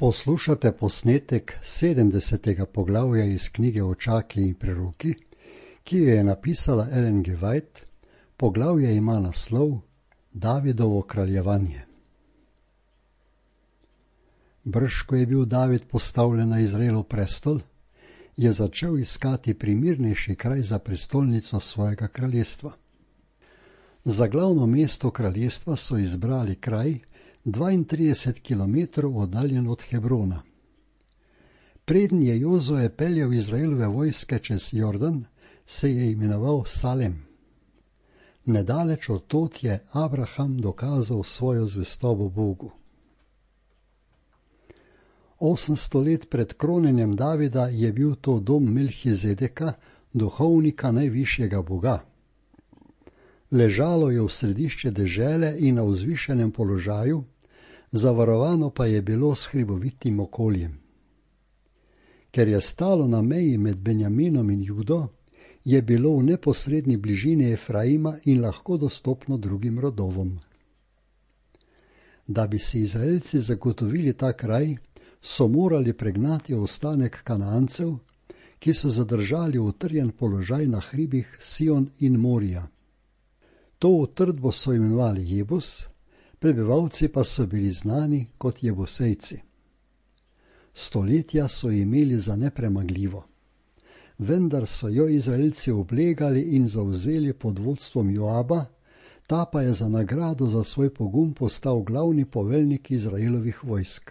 Poslušate posnetek 70. poglavja iz knjige Očaki in preroki, ki jo je napisala Ellen G. White. Poglavje ima naslov Davidovo kraljevanje. Brž ko je bil David postavljen na Izraelov prestol, je začel iskati primernejši kraj za prestolnico svojega kraljestva. Za glavno mesto kraljestva so izbrali kraj 32 km oddaljen od Hebrona. Preden je Jozoe peljal Izraelove vojske čez Jordan, se je imenoval Salem. Nedaleč od tod je Abraham dokazal svojo zvestobo Bogu. 800 let pred kronjenjem Davida je bil to dom Melhizedeka, duhovnika najvišjega Boga. Ležalo je v središče dežele in na vzvišenem položaju, zavarovano pa je bilo s hribovitim okoljem. Ker je stalo na meji med Benjaminom in Judo, je bilo v neposredni bližini Efraima in lahko dostopno drugim rodovom. Da bi si Izraelci zagotovili ta kraj, so morali pregnati ostanek Kanaancev, ki so zadržali utrjen položaj na hribih Sion in Morija. To utrdbo so imenovali Jebus, prebivalci pa so bili znani kot Jebusejci. Stoletja so imeli za nepremagljivo, vendar so jo Izraelci oblegali in zavzeli pod vodstvom Joaba, ta pa je za nagrado za svoj pogum postal glavni poveljnik Izraelovih vojsk.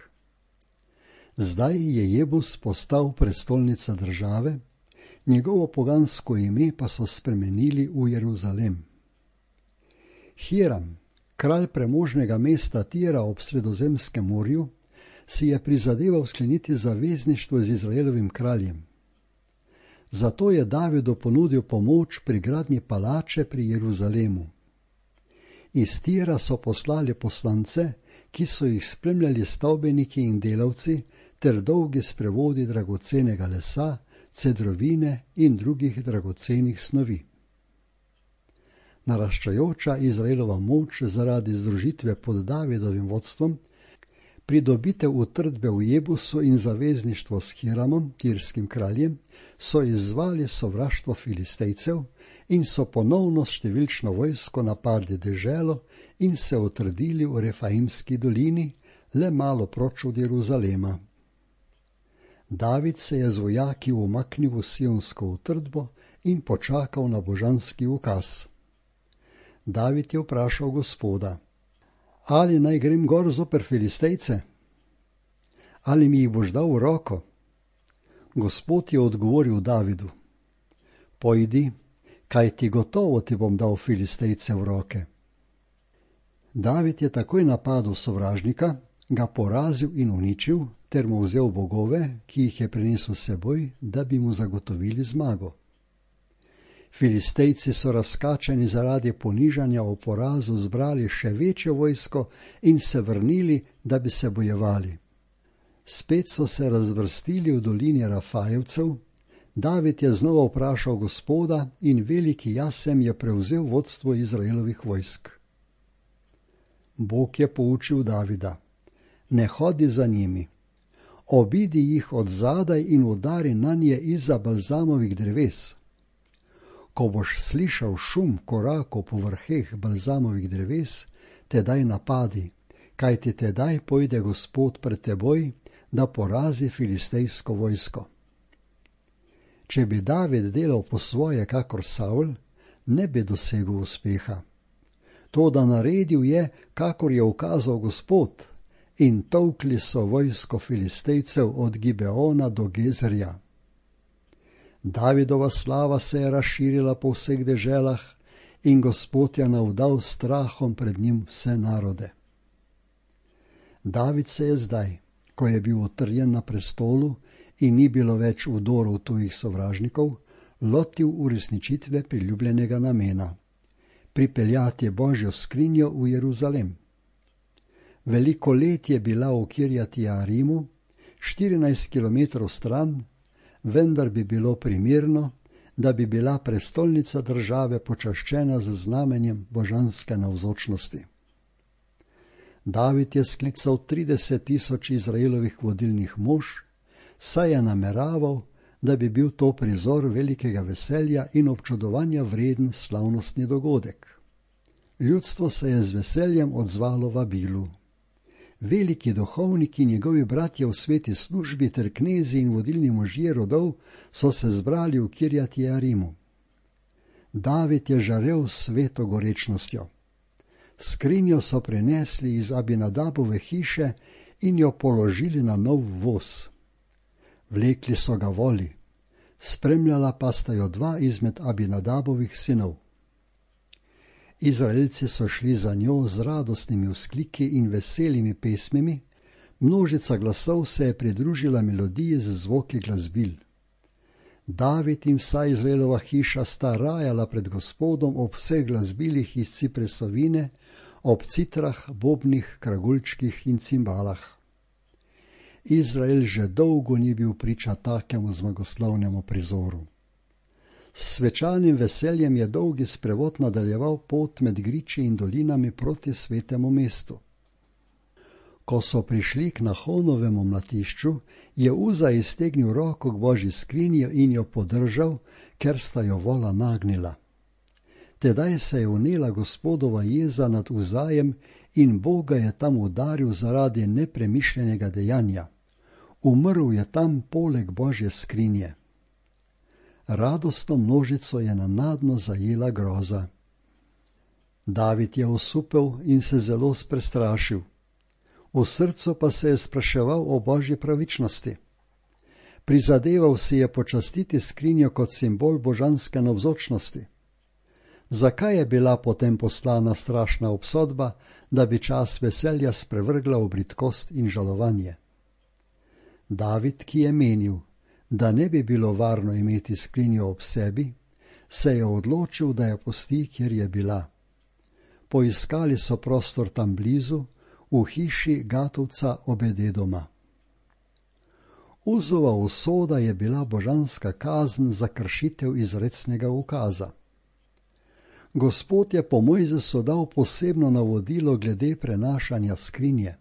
Zdaj je Jebus postal prestolnica države, njegovo pogansko ime pa so spremenili v Jeruzalem. Hiram, kralj premožnega mesta Tira ob Sredozemskem morju, si je prizadeval skleniti zavezništvo z Izraelovim kraljem. Zato je Davidu ponudil pomoč pri gradnji palače pri Jeruzalemu. Iz Tira so poslali poslance, ki so jih spremljali stavbeniki in delavci ter dolgi sprevodi dragocenega lesa, cedrovine in drugih dragocenih snovi. Naraščajoča Izraelova moč zaradi združitve pod Davidovim vodstvom, pridobitev utrdbe v Jebusu in zavezništvo s Hiramom, tirskim kraljem, so izzvali sovraštvo Filistejcev in so ponovno s številčno vojsko napadli deželo in se utrdili v Refaimski dolini, le malo proč od Jeruzalema. David se je z vojaki umaknil v sionsko utrdbo in počakal na božanski ukaz. David je vprašal Gospoda: Ali naj grem gor zoper Filistejce? Ali mi jih boš dal v roko? Gospod je odgovoril Davidu: Pojdi, kajti gotovo ti bom dal Filistejce v roke. David je takoj napadel sovražnika, ga porazil in uničil, ter mu vzel bogove, ki jih je prinesel s seboj, da bi mu zagotovili zmago. Filistejci so razkačeni zaradi ponižanja o porazu zbrali še večjo vojsko in se vrnili, da bi se bojevali. Spet so se razvrstili v dolini Rafajevcev. David je znova vprašal Gospoda in veliki Jasem je prevzel vodstvo Izraelovih vojsk. Bog je poučil Davida: Ne hodi za njimi, obidi jih od zadaj in udari nanje izza balzamovih dreves. Ko boš slišal šum korakov po vrheh balzamovih dreves, tedaj napadi, kajti tedaj pojde Gospod pred teboj, da porazi filistejsko vojsko. Če bi David delal po svoje kakor Savl, ne bi dosegel uspeha. Toda naredil je, kakor je ukazal Gospod, in tolkli so vojsko Filistejcev od Gibeona do Gezerja. Davidova slava se je razširila po vseh deželah in Gospod je navdal strahom pred njim vse narode. David se je zdaj, ko je bil utrjen na prestolu in ni bilo več vdorov tujih sovražnikov, lotil uresničitve priljubljenega namena: pripeljati Božjo skrinjo v Jeruzalem. Veliko let je bila v Kirjati Jearimu, 14 km stran, vendar bi bilo primerno, da bi bila prestolnica države počaščena z znamenjem božanske navzočnosti. David je sklical 30,000 Izraelovih vodilnih mož, saj je nameraval, da bi bil to prizor velikega veselja in občudovanja vreden slavnostni dogodek. Ljudstvo se je z veseljem odzvalo vabilu. Veliki duhovniki in njegovi bratje v sveti službi ter knezi in vodilni možje rodov so se zbrali v Kirjat Jearimu. David je žarel s sveto gorečnostjo. Skrinjo so prinesli iz Abinadabove hiše in jo položili na nov voz. Vlekli so ga voli, spremljala pa sta jo dva izmed Abinadabovih sinov. Izraelci so šli za njo z radostnimi vzkliki in veselimi pesmimi, množica glasov se je pridružila melodiji z zvoki glasbil. David in vsa Izraelova hiša sta rajala pred Gospodom ob vseh glasbilih iz cipresovine, ob citrah, bobnih, kragulčkih in cimbalah. Izrael že dolgo ni bil priča takemu zmagoslavnemu prizoru. S svečanim veseljem je dolgi sprevod nadaljeval pot med griči in dolinami proti svetemu mestu. Ko so prišli k Nahonovemu mlatišču, je Uza iztegnil roko k Božji skrinji in jo podržal, ker sta jo vola nagnila. Tedaj se je vnela Gospodova jeza nad Uzajem in Bog ga je tam udaril zaradi nepremišljenega dejanja. Umrl je tam poleg Božje skrinje. Radostno množico je nenadno zajela groza. David je osupel in se zelo prestrašil. V srcu pa se je spraševal o Božji pravičnosti. Prizadeval si je počastiti skrinjo kot simbol božanske navzočnosti. Zakaj je bila potem poslana strašna obsodba, da bi čas veselja sprevrgla v bridkost in žalovanje? David, ki je menil, da ne bi bilo varno imeti skrinjo ob sebi, se je odločil, da jo pusti, kjer je bila. Poiskali so prostor tam blizu, v hiši Gatovca Obededoma. Uzova usoda je bila božanska kazen za kršitev izrecnega ukaza. Gospod je po Mojzesu dal posebno navodilo glede prenašanja skrinje.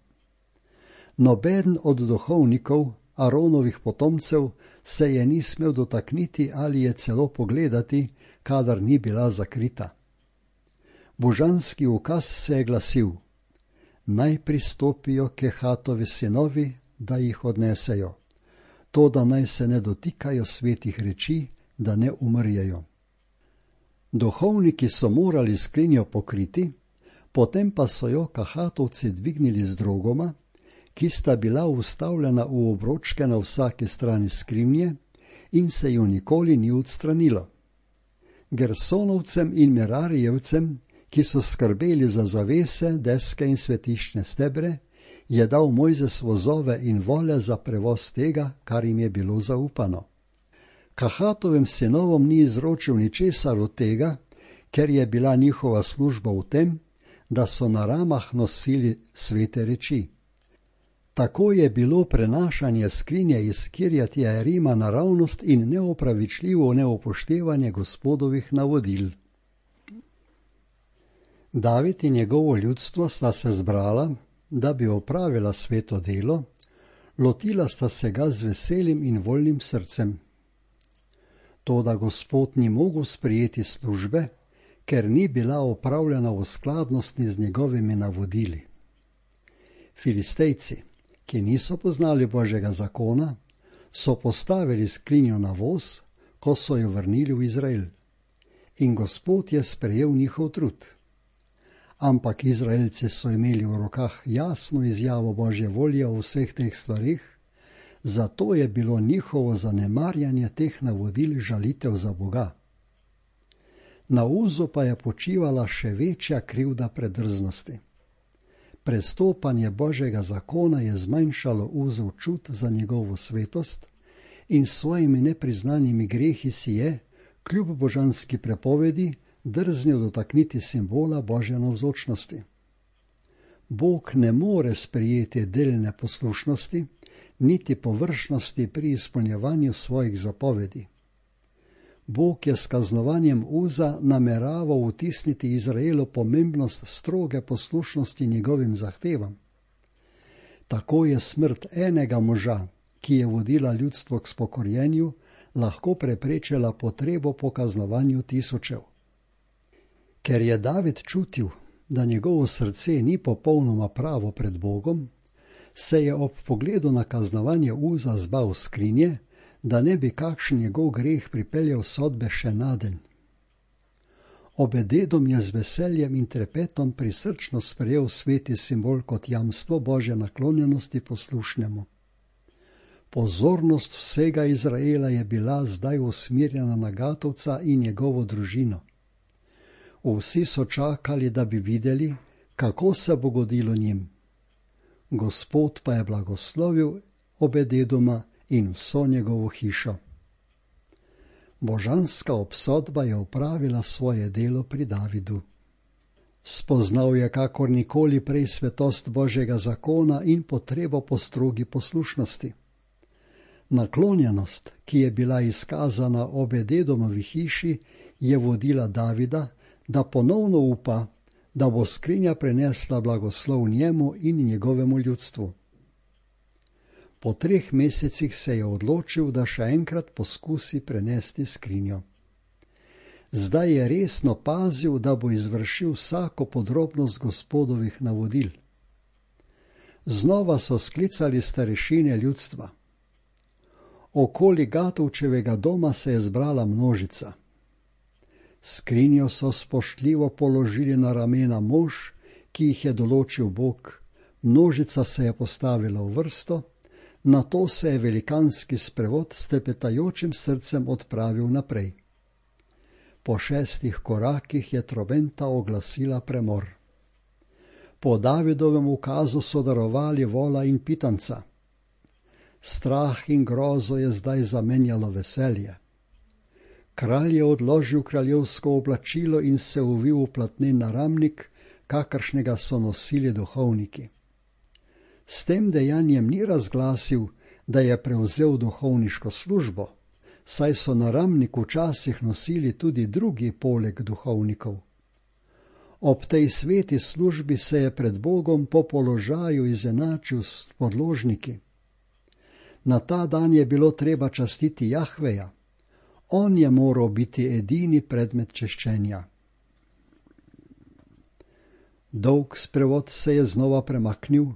Nobeden od duhovnikov, Aronovih potomcev, se je ni smel dotakniti ali je celo pogledati, kadar ni bila zakrita. Božanski ukaz se je glasil: naj pristopijo Kehatovi sinovi, da jih odnesejo, to da naj se ne dotikajo svetih reči, da ne umrjejo. Duhovniki so morali skrinjo pokriti, potem pa so jo Kahatovci dvignili z drogoma, ki sta bila vstavljena v obročke na vsaki strani skrinje in se ju nikoli ni odstranilo. Gersonovcem in Merarijevcem, ki so skrbeli za zavese, deske in svetiščne stebre, je dal Mojzes vozove in vole za prevoz tega, kar jim je bilo zaupano. Kahatovim sinovom ni izročil ničesar od tega, ker je bila njihova služba v tem, da so na ramah nosili svete reči. Tako je bilo prenašanje skrinje iz Kirjat Jearima naravnost in neopravičljivo neupoštevanje Gospodovih navodil. David in njegovo ljudstvo sta se zbrala, da bi opravila sveto delo, lotila sta se ga z veselim in voljnim srcem. Toda Gospod ni mogel sprejeti službe, ker ni bila opravljena v skladnosti z njegovimi navodili. Filistejci, ki niso poznali Božjega zakona, so postavili skrinjo na voz, ko so jo vrnili v Izrael. In Gospod je sprejel njihov trud. Ampak Izraelci so imeli v rokah jasno izjavo Božje volje o vseh teh stvarih, zato je bilo njihovo zanemarjanje teh navodil žalitev za Boga. Na Uzu pa je počivala še večja krivda predrznosti. Prestopanje Božjega zakona je zmanjšalo Uzov čut za njegovo svetost in s svojimi nepriznanimi grehi si je, kljub božanski prepovedi, drznil dotakniti simbola Božje navzočnosti. Bog ne more sprejeti delne poslušnosti, niti površnosti pri izpolnjevanju svojih zapovedi. Bog je s kaznovanjem Uza nameraval vtisniti Izraelu pomembnost stroge poslušnosti njegovim zahtevam. Tako je smrt enega moža, ki je vodila ljudstvo k spokorjenju, lahko preprečila potrebo po kaznovanju tisočev. Ker je David čutil, da njegovo srce ni popolnoma pravo pred Bogom, se je ob pogledu na kaznovanje Uza zbal skrinje, da ne bi kakšen njegov greh pripeljal sodbe še naden. Obed-Edom je z veseljem in trepetom prisrčno sprejel sveti simbol kot jamstvo Božje naklonjenosti poslušnemu. Pozornost vsega Izraela je bila zdaj usmerjena na Gatovca in njegovo družino. Vsi so čakali, da bi videli, kako se bo godilo njim. Gospod pa je blagoslovil Obed-Edoma in vso njegovo hišo. Božanska obsodba je opravila svoje delo pri Davidu. Spoznal je kakor nikoli prej svetost Božjega zakona in potrebo po strogi poslušnosti. Naklonjenost, ki je bila izkazana Obed-Edomovi hiši, je vodila Davida, da ponovno upa, da bo skrinja prenesla blagoslov njemu in njegovemu ljudstvu. Po 3 mesecih se je odločil, da še enkrat poskusi prenesti skrinjo. Zdaj je resno pazil, da bo izvršil vsako podrobnost Gospodovih navodil. Znova so sklicali starešine ljudstva. Okoli Gatovčevega doma se je zbrala množica. Skrinjo so spoštljivo položili na ramena mož, ki jih je določil Bog. Množica se je postavila v vrsto, nato se je velikanski sprevod s trepetajočim srcem odpravil naprej. Po 6 korakih je trobenta oglasila premor. Po Davidovem ukazu so darovali vola in pitanca. Strah in grozo je zdaj zamenjalo veselje. Kralj je odložil kraljevsko oblačilo in se uvil v platnen naramnik, kakršnega so nosili duhovniki. S tem dejanjem ni razglasil, da je prevzel duhovniško službo, saj so naramnik včasih nosili tudi drugi poleg duhovnikov. Ob tej sveti službi se je pred Bogom po položaju izenačil s podložniki. Na ta dan je bilo treba častiti Jahveja. On je moral biti edini predmet češčenja. Dolg sprevod se je znova premaknil,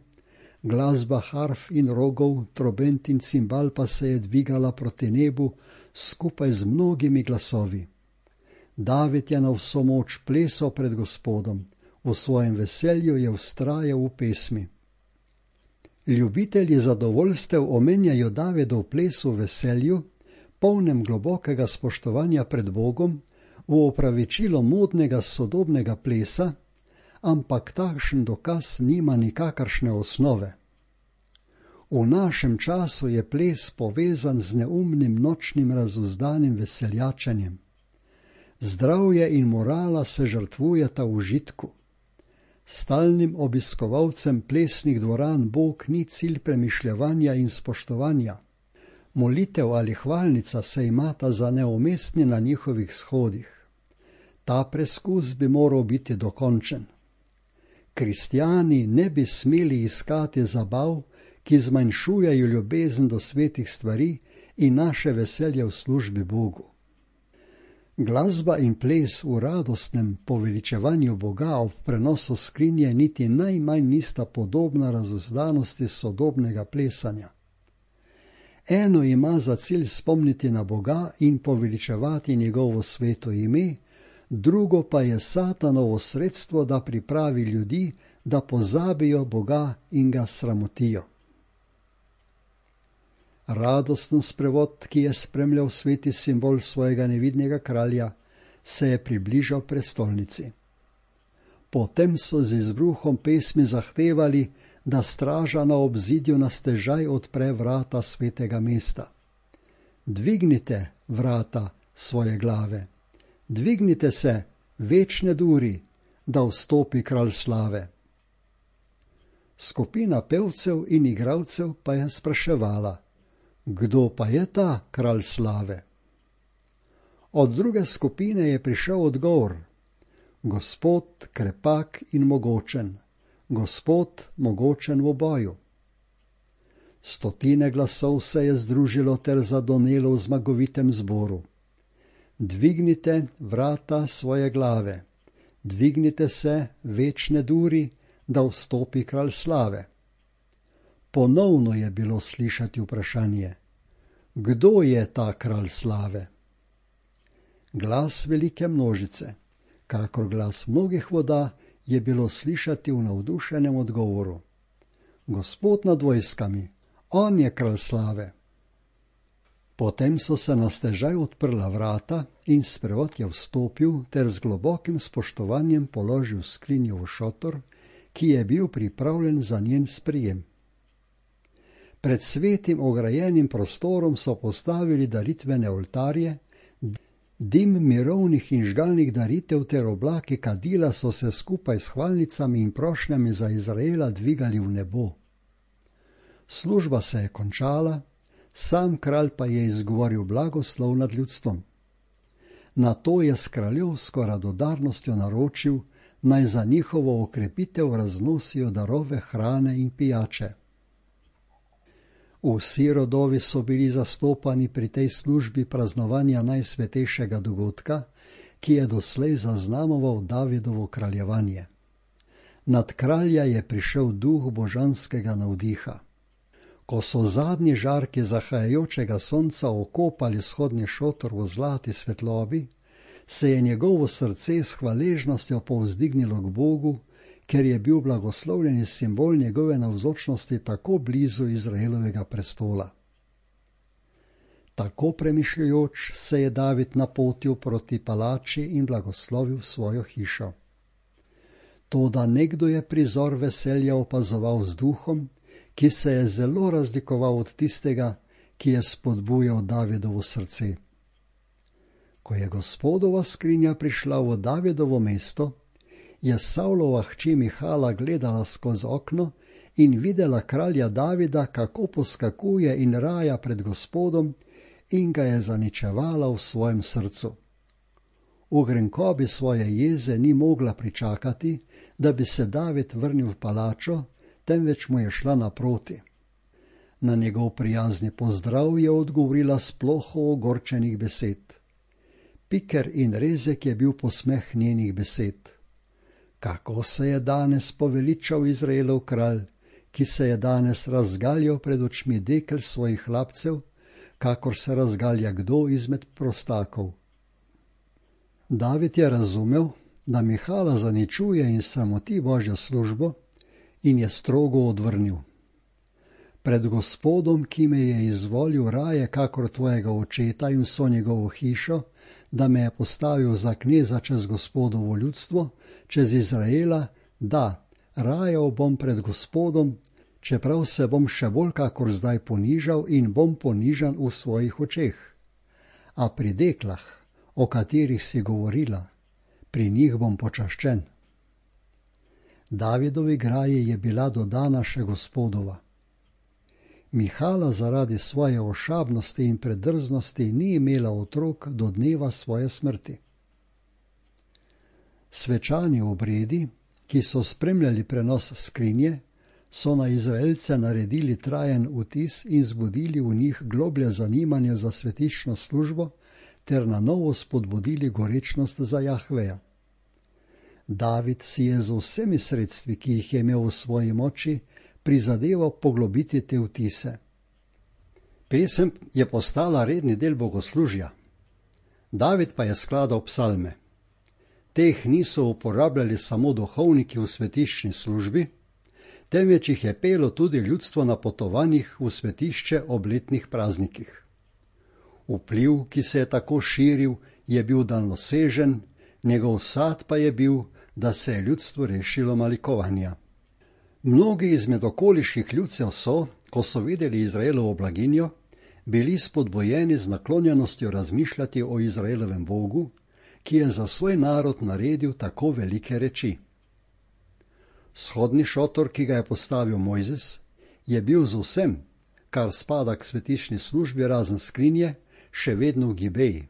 glasba harf in rogov, trobent in cimbal pa se je dvigala proti nebu skupaj z mnogimi glasovi. David je na vso moč plesal pred Gospodom, v svojem veselju je vztrajal v pesmi. Ljubitelji zadovoljstev omenjajo Davidov ples v veselju, polnem globokega spoštovanja pred Bogom, v opravičilo modnega sodobnega plesa, ampak takšen dokaz nima nikakršne osnove. V našem času je ples povezan z neumnim nočnim razuzdanim veseljačenjem. Zdravje in morala se žrtvujeta v užitku. Stalnim obiskovalcem plesnih dvoran Bog ni cilj premišljevanja in spoštovanja. Molitev ali hvalnica se imata za neumestni na njihovih shodih. Ta preskus bi moral biti dokončen. Kristjani ne bi smeli iskati zabav, ki zmanjšujejo ljubezen do svetih stvari in naše veselje v službi Bogu. Glasba in ples v radostnem poveličevanju Boga ob prenosu skrinje niti najmanj nista podobna razuzdanosti sodobnega plesanja. Eno ima za cilj spomniti na Boga in poveličevati njegovo sveto ime, drugo pa je Satanovo sredstvo, da pripravi ljudi, da pozabijo Boga in ga sramotijo. Radosten sprevod, ki je spremljal sveti simbol svojega nevidnega kralja, se je približal prestolnici. Potem so z izbruhom pesmi zahtevali, da straža na obzidju na stežaj odpre vrata svetega mesta. Dvignite vrata svoje glave, dvignite se, večne duri, da vstopi kralj slave. Skupina pevcev in igralcev pa je spraševala, kdo pa je ta kralj slave? Od druge skupine je prišel odgovor: Gospod krepak in mogočen, Gospod mogočen v boju. Stotine glasov se je združilo ter zadonelo v zmagovitem zboru. Dvignite vrata svoje glave, dvignite se, večne duri, da vstopi kralj slave. Ponovno je bilo slišati vprašanje: Kdo je ta kralj slave? Glas velike množice, kakor glas mnogih voda, je bilo slišati v navdušenem odgovoru: Gospod nad vojskami, on je kralj slave. Potem so se na stežaj odprla vrata in sprevod je vstopil ter z globokim spoštovanjem položil skrinjo v šotor, ki je bil pripravljen za njen sprijem. Pred svetim ograjenim prostorom so postavili daritvene oltarje, dim mirovnih in žgalnih daritev ter oblaki kadila so se skupaj s hvalnicami in prošnjami za Izraela dvigali v nebo. Služba se je končala, sam kralj pa je izgovoril blagoslov nad ljudstvom. Nato je s kraljevsko radodarnostjo naročil, naj za njihovo okrepitev raznosijo darove hrane in pijače. Vsi rodovi so bili zastopani pri tej službi praznovanja najsvetejšega dogodka, ki je doslej zaznamoval Davidovo kraljevanje. Nad kralja je prišel duh božanskega navdiha. Ko so zadnji žarki zahajajočega sonca okopali vzhodni šotor v zlati svetlobi, se je njegovo srce s hvaležnostjo povzdignilo k Bogu, ker je bil blagoslovljeni simbol njegove navzočnosti tako blizu Izraelovega prestola. Tako premišljujoč se je David napotil proti palači in blagoslovil svojo hišo. Toda nekdo je prizor veselja opazoval z duhom, ki se je zelo razlikoval od tistega, ki je spodbujal Davidovo srce. Ko je Gospodova skrinja prišla v Davidovo mesto, je Savlova hči Mihala gledala skozi okno in videla kralja Davida, kako poskakuje in raja pred Gospodom, in ga je zaničevala v svojem srcu. V grenkobi svoje jeze ni mogla pričakati, da bi se David vrnil v palačo, temveč mu je šla naproti. Na njegov prijazni pozdrav je odgovorila s ploho ogorčenih besed. Piker in rezek je bil posmeh njenih besed. Kako se je danes poveličal Izraelov kralj, ki se je danes razgaljal pred očmi dekel svojih hlapcev, kakor se razgalja kdo izmed prostakov. David je razumel, da Mihala zaničuje in sramoti Božjo službo, in je strogo odvrnil. Pred Gospodom, ki me je izvolil raje kakor tvojega očeta in vso njegovo hišo, da me je postavil za kneza čez Gospodovo ljudstvo, čez Izraela, da, rajal bom pred Gospodom, čeprav se bom še bolj kakor zdaj ponižal in bom ponižan v svojih očeh. A pri deklah, o katerih si govorila, pri njih bom počaščen. Davidovi graji je bila dodana še Gospodova. Mihala zaradi svoje ošabnosti in predrznosti ni imela otrok do dneva svoje smrti. Svečani obredi, ki so spremljali prenos skrinje, so na Izraelce naredili trajen vtis in zbudili v njih globlje zanimanje za svetično službo ter na novo spodbudili gorečnost za Jahveja. David si je z vsemi sredstvi, ki jih je imel v svoji moči, prizadeval poglobiti te vtise. Pesem je postala redni del bogoslužja. David pa je skladal psalme. Teh niso uporabljali samo duhovniki v svetiščni službi, temveč jih je pelo tudi ljudstvo na potovanjih v svetišče ob letnih praznikih. Vpliv, ki se je tako širil, je bil daljnosežen, njegov sad pa je bil, da se je ljudstvo rešilo malikovanja. Mnogi izmed okoliških ljudcev so, ko so videli Izraelovo blaginjo, bili spodbojeni z naklonjenostjo razmišljati o Izraelovem Bogu, ki je za svoj narod naredil tako velike reči. Shodni šotor, ki ga je postavil Mojzes, je bil z vsem, kar spada k svetišni službi razen skrinje, še vedno v Gibeji.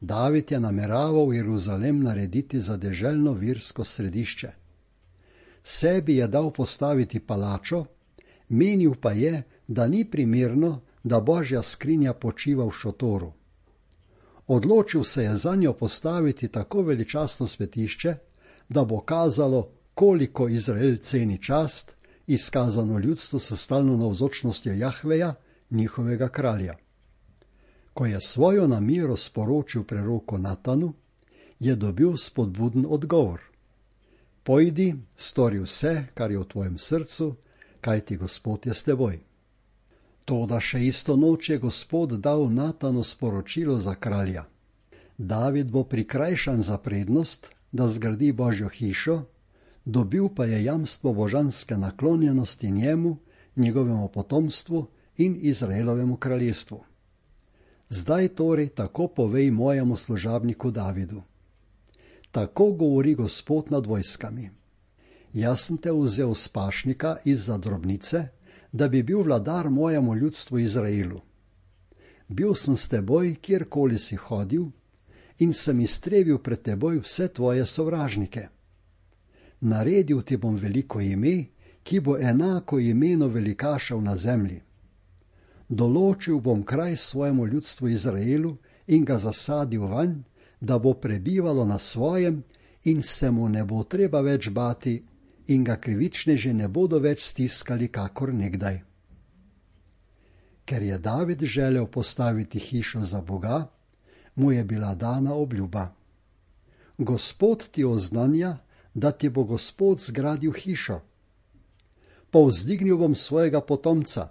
David je nameraval Jeruzalem narediti za deželno versko središče. Sebi je dal postaviti palačo, menil pa je, da ni primerno, da Božja skrinja počiva v šotoru. Odločil se je zanjo postaviti tako veličastno svetišče, da bo kazalo, koliko Izrael ceni čast, izkazano ljudstvu s stalno navzočnostjo Jahveja, njihovega kralja. Ko je svojo namero sporočil preroku Natanu, je dobil spodbuden odgovor. Pojdi, stori vse, kar je v tvojem srcu, kajti Gospod je s teboj. Toda še isto noč je Gospod dal Natanu sporočilo za kralja. David bo prikrajšan za prednost, da zgradi Božjo hišo, dobil pa je jamstvo božanske naklonjenosti njemu, njegovemu potomstvu in Izraelovemu kraljestvu. Zdaj torej tako povej mojemu služabniku Davidu. Tako govori Gospod nad vojskami. Jaz sem te vzel s pašnika izza drobnice, da bi bil vladar mojemu ljudstvu Izraelu. Bil sem s teboj, kjerkoli si hodil, in sem iztrebil pred teboj vse tvoje sovražnike. Naredil ti bom veliko ime, ki bo enako imenu velikašev na zemlji. Določil bom kraj svojemu ljudstvu Izraelu in ga zasadil vanj, da bo prebivalo na svojem in se mu ne bo treba več bati in ga krivičneži ne bodo več stiskali kakor nekdaj. Ker je David želel postaviti hišo za Boga, mu je bila dana obljuba. Gospod ti oznanja, da ti bo Gospod zgradil hišo. Povzdignil bom svojega potomca.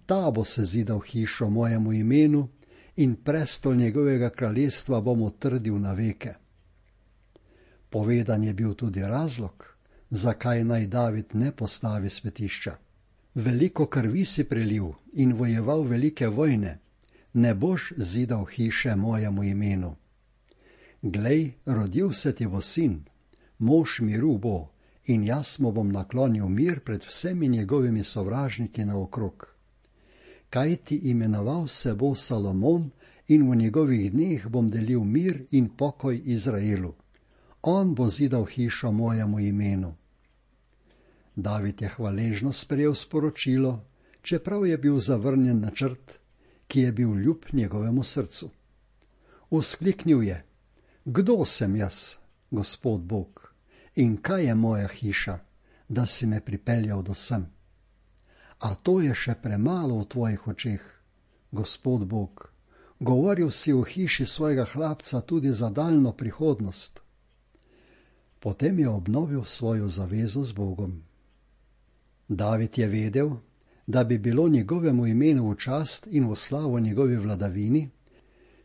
Ta bo sezidal hišo mojemu imenu in prestol njegovega kraljestva bom utrdil na veke. Povedan je bil tudi razlog, zakaj naj David ne postavi svetišča. Veliko krvi si prelil in vojeval velike vojne, ne boš zidal hiše mojemu imenu. Glej, rodil se ti bo sin, mož miru bo, in jaz mu bom naklonil mir pred vsemi njegovimi sovražniki naokrog. Kaj ti imenoval se bo Salomon in v njegovih dneh bom delil mir in pokoj Izraelu. On bo zidal hišo mojemu imenu. David je hvaležno sprejel sporočilo, čeprav je bil zavrnjen načrt, ki je bil ljub njegovemu srcu. Vzkliknil je: Kdo sem jaz, Gospod Bog, in kaj je moja hiša, da si me pripeljal do sem? A to je še premalo v tvojih očeh, Gospod Bog. Govoril si o hiši svojega hlapca tudi za daljno prihodnost. Potem je obnovil svojo zavezo z Bogom. David je vedel, da bi bilo njegovemu imenu v čast in v slavo njegovi vladavini,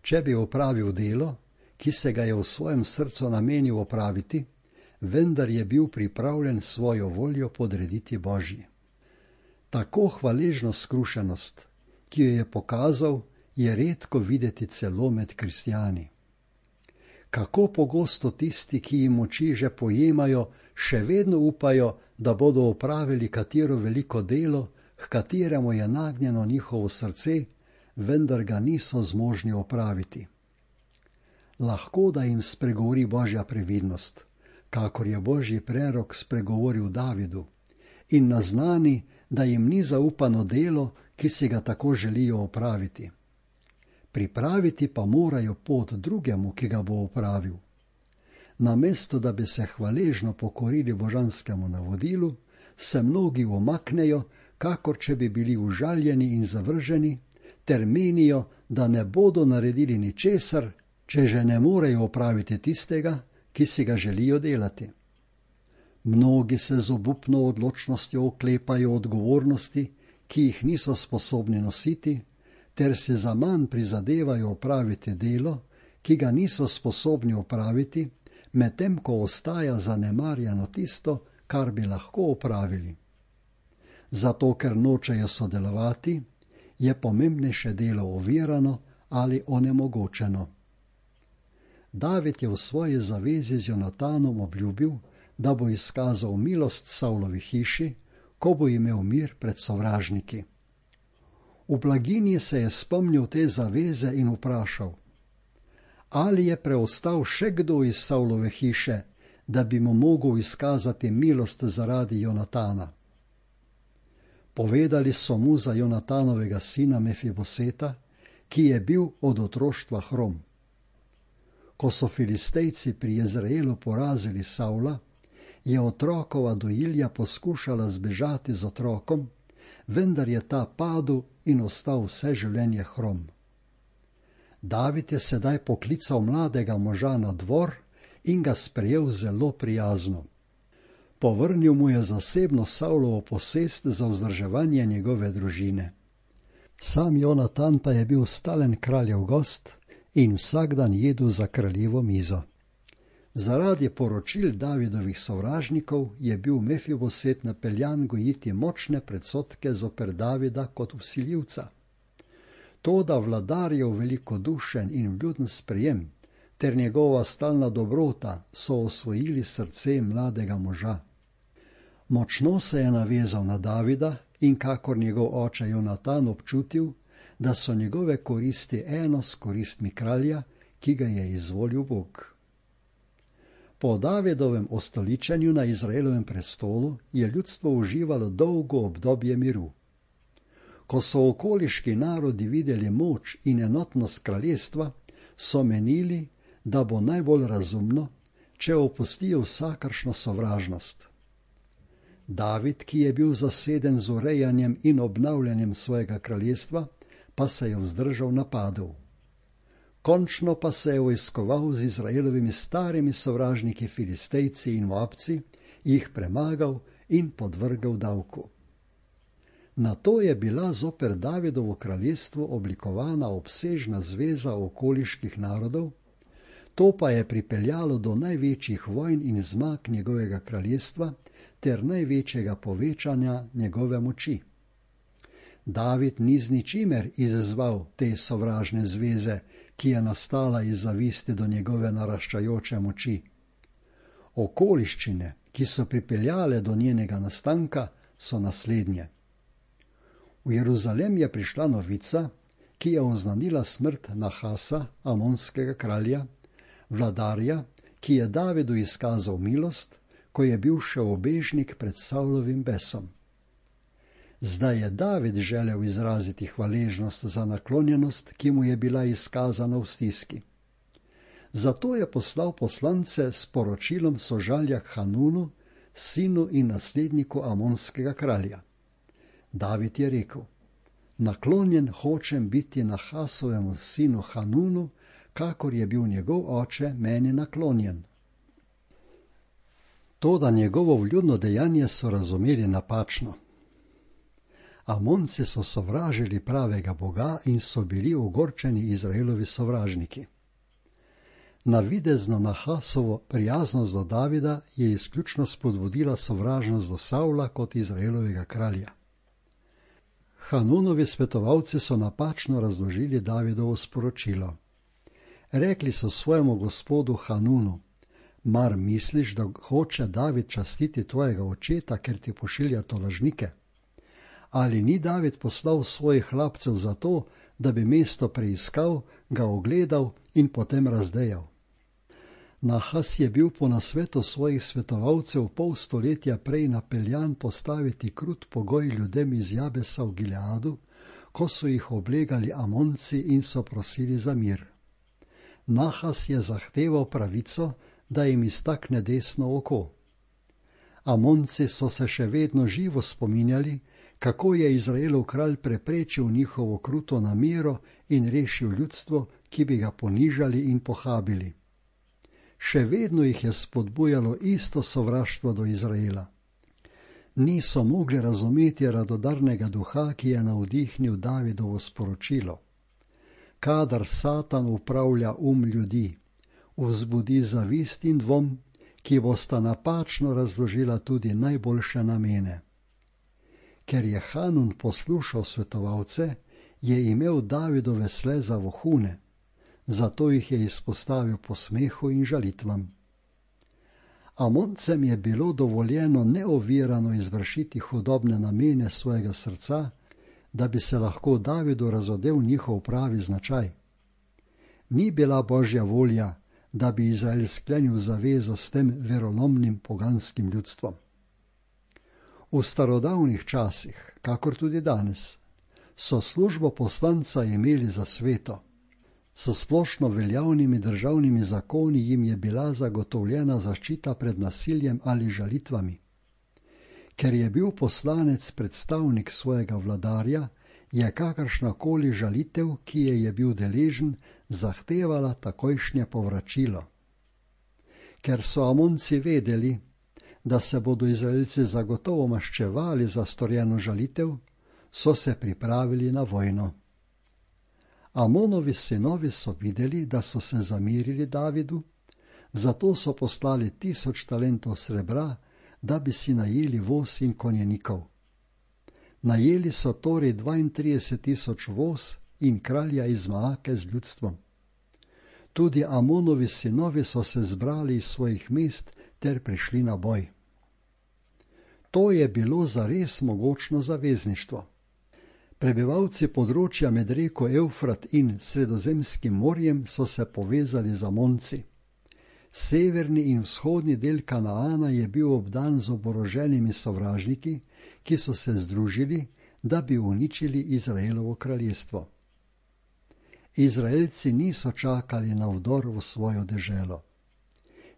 če bi opravil delo, ki se ga je v svojem srcu namenil opraviti, vendar je bil pripravljen svojo voljo podrediti Božji. Tako hvaležno skrušenost, ki jo je pokazal, je redko videti celo med kristjani. Kako pogosto tisti, ki jim moči že pojemajo, še vedno upajo, da bodo opravili katero veliko delo, h kateremu je nagnjeno njihovo srce, vendar ga niso zmožni opraviti. Lahko da jim spregovori Božja previdnost, kakor je Božji prerok spregovoril Davidu, in naznani, da jim ni zaupano delo, ki si ga tako želijo opraviti. Pripraviti pa morajo pot drugemu, ki ga bo opravil. Namesto da bi se hvaležno pokorili božanskemu navodilu, se mnogi umaknejo, kakor če bi bili užaljeni in zavrženi, ter menijo, da ne bodo naredili ničesar, če že ne morejo opraviti tistega, ki si ga želijo delati. Mnogi se z obupno odločnostjo oklepajo odgovornosti, ki jih niso sposobni nositi, ter se zaman prizadevajo opraviti delo, ki ga niso sposobni opraviti, medtem ko ostaja zanemarjeno tisto, kar bi lahko opravili. Zato, ker nočejo sodelovati, je pomembnejše delo ovirano ali onemogočeno. David je v svoji zavezi z Jonatanom obljubil, da bo izkazal milost Savlovi hiši, ko bo imel mir pred sovražniki. V blaginji se je spomnil te zaveze in vprašal: Ali je preostal še kdo iz Savlove hiše, da bi mu mogel izkazati milost zaradi Jonatana? Povedali so mu za Jonatanovega sina Mefiboseta, ki je bil od otroštva hrom. Ko so Filistejci pri Jezreelu porazili Savla, je otrokova dojilja poskušala zbežati z otrokom, vendar je ta padel in ostal vse življenje hrom. David je sedaj poklical mladega moža na dvor in ga sprejel zelo prijazno. Povrnil mu je zasebno Savlovo posest za vzdrževanje njegove družine. Sam Jonatan pa je bil stalen kraljev gost in vsak dan jedel za kraljevo mizo. Zaradi poročil Davidovih sovražnikov je bil Mefiboset napeljan gojiti močne predsodke zoper Davida kot vsiljivca. Toda vladarjev velikodušen in vljuden sprejem ter njegova stalna dobrota so osvojili srce mladega moža. Močno se je navezal na Davida in kakor njegov oče Jonatan občutil, da so njegove koristi eno s koristmi kralja, ki ga je izvolil Bog. Po Davidovem ostoličenju na Izraelovem prestolu je ljudstvo uživalo dolgo obdobje miru. Ko so okoliški narodi videli moč in enotnost kraljestva, so menili, da bo najbolj razumno, če opustijo vsakršno sovražnost. David, ki je bil zaseden z urejanjem in obnavljanjem svojega kraljestva, pa se je vzdržal napadov. Končno pa se je vojskoval z Izraelovimi starimi sovražniki Filistejci in Moabci, jih premagal in podvrgel davku. Nato je bila zoper Davidovo kraljestvo oblikovana obsežna zveza okoliških narodov, to pa je pripeljalo do največjih vojn in zmag njegovega kraljestva ter največjega povečanja njegove moči. David ni z ničimer izzval te sovražne zveze, ki je nastala iz zavisti do njegove naraščajoče moči. Okoliščine, ki so pripeljale do njenega nastanka, so naslednje. V Jeruzalem je prišla novica, ki je oznanila smrt Nahasa, amonskega kralja, vladarja, ki je Davidu izkazal milost, ko je bil še obežnik pred Savlovim besom. Zdaj je David želel izraziti hvaležnost za naklonjenost, ki mu je bila izkazana v stiski. Zato je poslal poslance s poročilom sožalja k Hanunu, sinu in nasledniku amonskega kralja. David je rekel: naklonjen hočem biti Nahasovemu sinu Hanunu, kakor je bil njegov oče meni naklonjen. Toda njegovo vljudno dejanje so razumeli napačno. Amonci so sovražili pravega Boga in so bili ogorčeni Izraelovi sovražniki. Navidezno Nahasovo prijaznost do Davida je izključno spodbudila sovražnost do Savla kot Izraelovega kralja. Hanunovi svetovalci so napačno razložili Davidovo sporočilo. Rekli so svojemu gospodu Hanunu: mar misliš, da hoče David častiti tvojega očeta, ker ti pošilja tolažnike? Ali ni David poslal svojih hlapcev za to, da bi mesto preiskal, ga ogledal in potem razdejal? Nahas je bil po nasvetu svojih svetovalcev pol stoletja prej napeljan postaviti krut pogoj ljudem iz Jabesa v Gileadu, ko so jih oblegali Amonci in so prosili za mir. Nahas je zahteval pravico, da jim iztakne desno oko. Amonci so se še vedno živo spominjali, kako je Izraelov kralj preprečil njihovo kruto namero in rešil ljudstvo, ki bi ga ponižali in pohabili. Še vedno jih je spodbujalo isto sovraštvo do Izraela. Niso mogli razumeti radodarnega duha, ki je navdihnil Davidovo sporočilo. Kadar Satan upravlja ljudi, vzbudi zavist in dvom, ki bosta napačno razložila tudi najboljše namene. Ker je Hanun poslušal svetovalce, je imel Davidove sleza vohune, zato jih je izpostavil posmehu in žalitvam. Amoncem je bilo dovoljeno neovirano izvršiti hudobne namene svojega srca, da bi se lahko Davidu razodel njihov pravi značaj. ni bila Božja volja, da bi Izrael sklenil zavezo s tem verolomnim poganskim ljudstvom. V starodavnih časih, kakor tudi danes, so službo poslanca imeli za sveto. S splošno veljavnimi državnimi zakoni jim je bila zagotovljena zaščita pred nasiljem ali žalitvami. Ker je bil poslanec predstavnik svojega vladarja, je kakršnakoli žalitev, ki je bil deležen, zahtevala takojšnje povračilo. Ker so Amonci vedeli, da se bodo Izraelci zagotovo maščevali za storjeno žalitev, so se pripravili na vojno. Amonovi sinovi so videli, da so se zamerili Davidu, zato so poslali 1000 talentov srebra, da bi si najeli voz in konjenikov. Najeli so torej 32 000 voz in kralja iz Maake z ljudstvom. Tudi Amonovi sinovi so se zbrali iz svojih mest ter prišli na boj. To je bilo zares mogočno zavezništvo. Prebivalci področja med reko Evfrat in Sredozemskim morjem so se povezali z Amonci. Severni in vzhodni del Kanaana je bil obdan z oboroženimi sovražniki, ki so se združili, da bi uničili Izraelovo kraljestvo. Izraelci niso čakali na vdor v svojo deželo.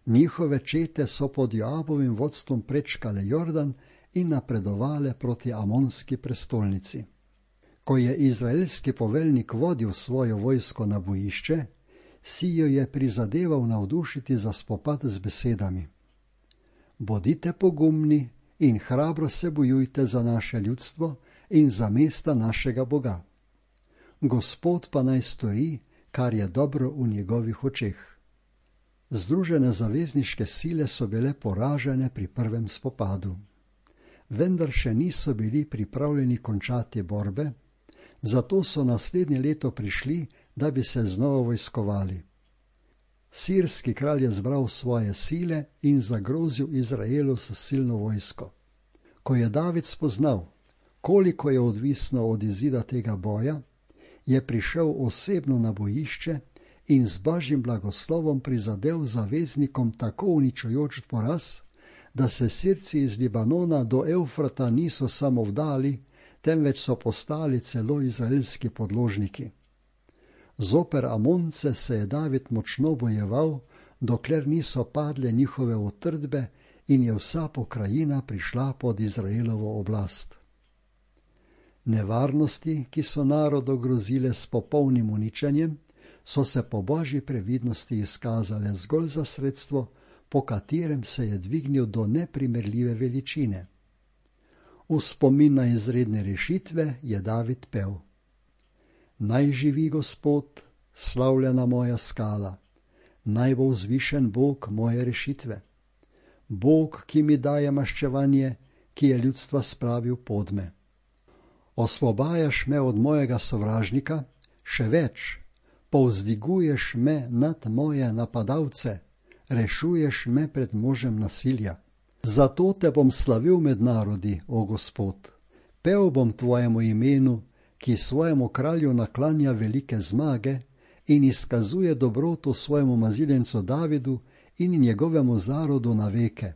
Njihove čete so pod Joabovim vodstvom prečkale Jordan in napredovale proti amonski prestolnici. Ko je izraelski poveljnik vodil svojo vojsko na bojišče, si jo je prizadeval navdušiti za spopad z besedami: Bodite pogumni in hrabro se bojujte za naše ljudstvo in za mesta našega Boga. Gospod pa naj stori, kar je dobro v njegovih očeh. Združene zavezniške sile so bile poražene pri prvem spopadu. Vendar še niso bili pripravljeni končati borbe, zato so naslednje leto prišli, da bi se znova vojskovali. Sirski kralj je zbral svoje sile in zagrozil Izraelu s silno vojsko. Ko je David spoznal, koliko je odvisno od izida tega boja, je prišel osebno na bojišče in z Božjim blagoslovom prizadel zaveznikom tako uničujoč poraz, da se Sirci iz Libanona do Evfrata niso samo vdali, temveč so postali celo izraelski podložniki. Zoper Amonce se je David močno bojeval, dokler niso padle njihove utrdbe in je vsa pokrajina prišla pod Izraelovo oblast. Nevarnosti, ki so narodu grozile s popolnim uničenjem, so se po Božji previdnosti izkazale zgolj za sredstvo, po katerem se je dvignil do neprimerljive veličine. V spomin na izredne rešitve je David pel: Naj živi Gospod, slavljena moja skala, naj bo vzvišen Bog moje rešitve. Bog, ki mi daje maščevanje, ki je ljudstva spravil pod me. Osvobajaš me od mojega sovražnika, še več, povzdiguješ me nad moje napadalce, rešuješ me pred možem nasilja. Zato te bom slavil med narodi, o Gospod. Pel bom tvojemu imenu, ki svojemu kralju naklanja velike zmage in izkazuje dobroto svojemu maziljencu Davidu in njegovemu zarodu na veke.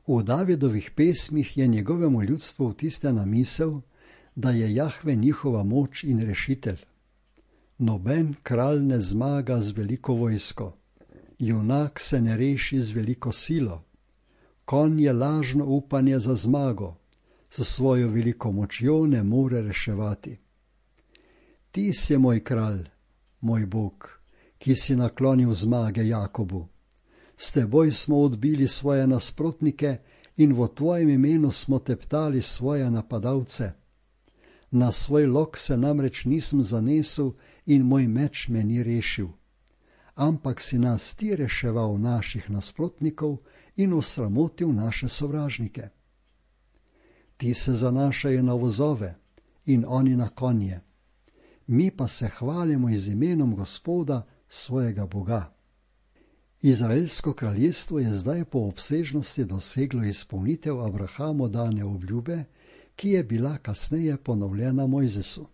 V Davidovih pesmih je njegovemu ljudstvu vtisnjena misel, da je Jahve njihova moč in rešitelj. Noben kralj ne zmaga z veliko vojsko, junak se ne reši z veliko silo. Konj je lažno upanje za zmago, s svojo veliko močjo ne more reševati. Ti si moj kralj, moj Bog, ki si naklonil zmage Jakobu. S teboj smo odbili svoje nasprotnike in v tvojem imenu smo teptali svoje napadalce. Na svoj lok se namreč nisem zanesel in moj meč me ni rešil. Ampak si nas ti reševal naših nasprotnikov in osramotil naše sovražnike. Ti se zanašajo na vozove in oni na konje. Mi pa se hvalimo z imenom Gospoda, svojega Boga. Izraelsko kraljestvo je zdaj po obsežnosti doseglo izpolnitev Abrahamu dane obljube, ki je bila kasneje ponovljena Mojzesu.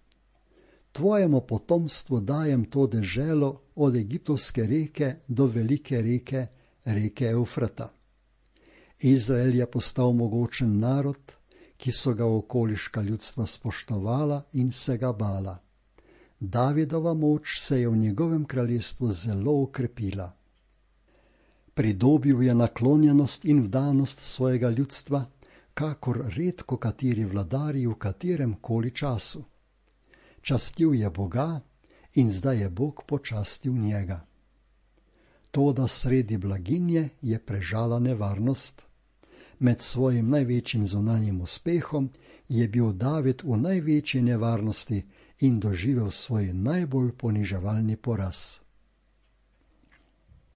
tvojemu potomstvu dajem to deželo od egiptovske reke do velike reke, reke Eufrata. Izrael je postal mogočen narod, ki so ga okoliška ljudstva spoštovala in se ga bala. Davidova moč se je v njegovem kraljestvu zelo okrepila. Pridobil je naklonjenost in vdanost svojega ljudstva, kakor redko kateri vladarji v katerem koli času. Častil je Boga in zdaj je Bog počastil njega. Toda sredi blaginje je prežala nevarnost. Med svojim največjim zunanjim uspehom je bil David v največji nevarnosti in doživel svoj najbolj poniževalni poraz.